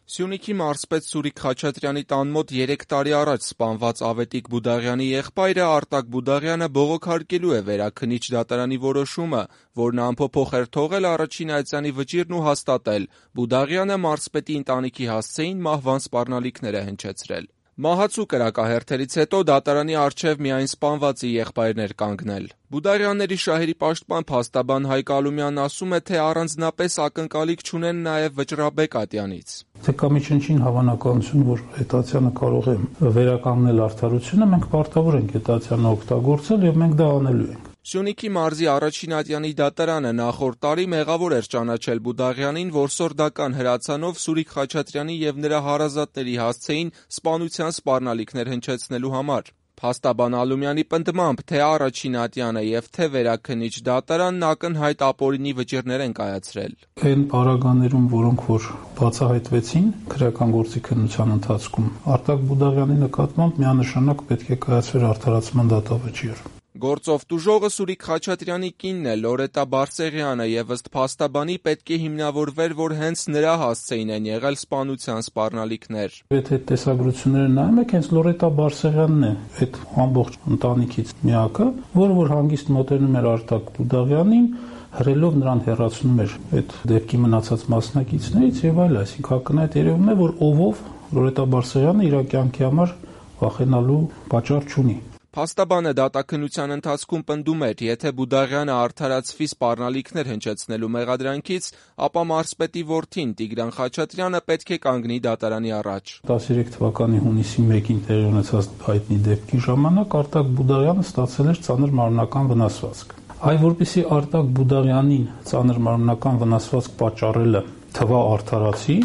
Սյունիքի մարզպետ Սուրիկ Խաչատրյանի տան մոտ 3 տարի առաջ սպանված Ավետիք Բուդաղյանի եղբայրը Արտակ Բուդաղյանը բողոքարկելու է Վերաքննիչ դատարանի որոշումը, որն անփոփոխ էր թողել առաջին այցյանի վճիռն ու հաստատել՝ Բուդաղյանը մարզպետի ընտանիքի հասցեին մահվան սպառնալիքներ է հնչեցրել։ Մահացու կրակահերթերից հետո դատարանի առջև միայն սպանվածի եղբայրն էր կանգնել։ Բուդաղյանների շահերի պաշտպան փաստաբան Հայկ Ալումյանն ասում է, թե առանձնապես ակնկալիք չունեն նաև Վճռաբեկ Ատյանից։ Թե կա միջնչին հավանականություն, որ Հետացյանը կարող է վերականգնել արդարությունը, մենք պարտավոր ենք Հետացյանը օգտագործել եւ մենք դա անելու ենք։ Սյունիքի մարզի առաջին ատյանի դատարանը նախորդ տարի մեղավոր էր ճանաչել Բուդաղյանին որսորդական հրացանով Սուրիկ Խաչատրյանի եւ նրա հարազատների հասցեին սպանության սպառնալիքներ հնչեցնելու համար։ Փաստաբան Ալումյանի պնդմամբ, թե առաջին ատյանը եւ թե Վերաքննիչ դատարանն ակնհայտ ապօրինի վճիռներ են կայացրել։ Այն պարագաներում, որոնք որ բացահայտվեցին քրեական գործի քննության ընթացքում, Արտակ Բուդաղյանի նկատմամբ միանշանակ պետք է կայացվեր արդարացման դատավճիռ։ Գործով տուժողը Սուրիկ Խաչատրյանի կինն է Լորետա Բարսեղյանը եւ ըստ փաստաբանի պետք է հիմնավորվեր, որ հենց նրա հասցեին են եղել սպանության սպառնալիքներ։ Եթե տեսագրությունները նայում եք, հենց Լորետա Բարսեղյանն է այդ ամբողջ ընտանիքից միակը, որ հանգիստ մոտենում էր Արտակ Բուդաղյանին, հրելով նրան հեռացնում էր այդ դեպքի մնացած մասնակիցներից եւ այլ, այսինքն ակնհայտ երևում է, որ ովով Լորետա Բարսեղյանը իր կյանքի համար վախենալու պատճառ չունի։ Փաստաբանը դատաքննության ընթացքում պնդում էր, եթե Բուդաղյանը արդարացվի սպառնալիքներ հնչեցնելու մեղադրանքից, ապա մարզպետի որդին Տիգրան Խաչատրյանը պետք է կանգնի դատարանի առաջ։ 13 թվականի հունիսի 1-ին տեղի ունեցած հայտնի դեպքի ժամանակ Արտակ Բուդաղյանը ստացել էր ծանր մարմնական վնասվածք։ Այ որպեսզի Արտակ Բուդաղյանին ծանր մարմնական վնասվածք պատճառելը թվա արդարացի,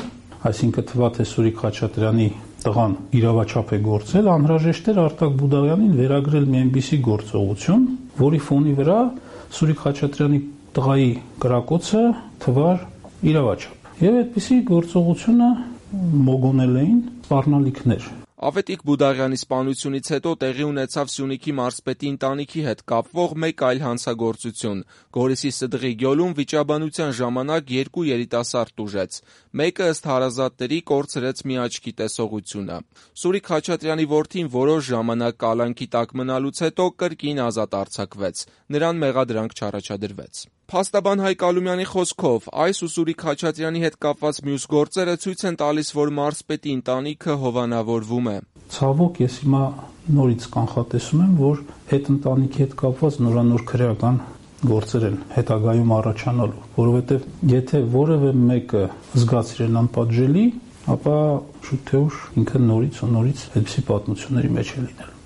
այսինքն թվա թե Սուրիկ Խաչատրյանի տղան իրավաչափ է գործել, անհրաժեշտ էր Արտակ Բուդաղյանին վերագրել մի այնպիսի գործողություն, որի ֆոնի վրա Սուրիկ Խաչատրյանի տղայի կրակոցը թվար իրավաչափ։ Եվ այդպիսի գործողությունը մոգոնել էին սպառնալիքներ։ Ավետիք Բուդաղյանի սպանությունից հետո տեղի ունեցավ Սյունիքի մարզպետի ընտանիքի հետ կապվող մեկ այլ հանցագործություն։ Գորիսի Սդղի գյուղում վիճաբանության ժամանակ 2 երիտասարդ տուժեց։ Մեկը ըստ հարազատների կորցրեց մի աչքի տեսողությունը։ Սուրիկ Խաչատրյանի որդին որոշ ժամանակ կալանքի տակ մնալուց հետո կրկին ազատ արձակվեց։ Նրան մեղադրանք չառաջադրվեց։ Փաստաբան Հայկ Ալումյանի խոսքով, այս ու Սուրիկ Խաչատրյանի հետ կապված մյուս գործերը ցույց են տալիս, որ մարզպետի ընտանիքը հովանավորվում է։ Ցավոք, ես հիմա նորից կանխատեսում եմ, որ այդ ընտանիքի հետ կապված նորանոր քրեական գործեր են հետագայում առաջանալու, որովհետև եթե որևէ մեկը զգաց իրեն անպատժելի, ապա շուտ թե ուշ ինքը նորից այդպիսի պատմությունների մեջ է լինելու։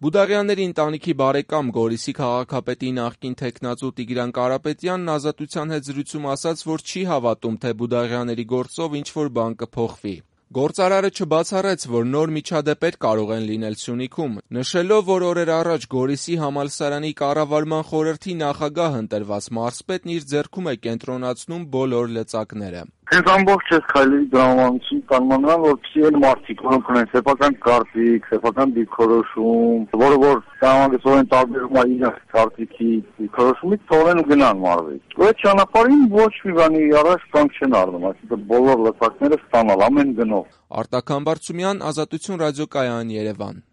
Բուդաղյանների ընտանիքի բարեկամ Գորիսի քաղաքապետի նախկին թեկնածու Տիգրան Կարապետյանն Ազատության հետ զրույցում ասաց, որ չի հավատում, թե Բուդաղյանների գործով ինչ-որ բան կփոխվի։ Գործարարը չբացառեց, որ նոր միջադեպեր կարող են լինել Սյունիքում, նշելով, որ օրեր առաջ Գորիսի համալսարանի կառավարման խորհրդի նախագահ ընտրված մարզպետն իր ձեռքում է կենտրոնացնում բոլոր լծակները։ Հենց ամբողջ այս քայլերի դրամատուրգիան կանոնական, որպեսզի այն մարդիկ, որոնք ունեն սեփական կարծիք, սեփական դիրքորոշում, որը որ կանոնագծորեն տարբերվում է իր կարծիքի դիրքորոշումից, թողնեն ու գնան մարզի։ Այդ ճանապարհին ոչ մի բանի առաջ կանգ չեն առնում, այսինքն բոլոր լծակները ստանալ ամեն գնով։ Արտակ Համբարձումյան, Ազատություն ռադիոկայան, Երևան։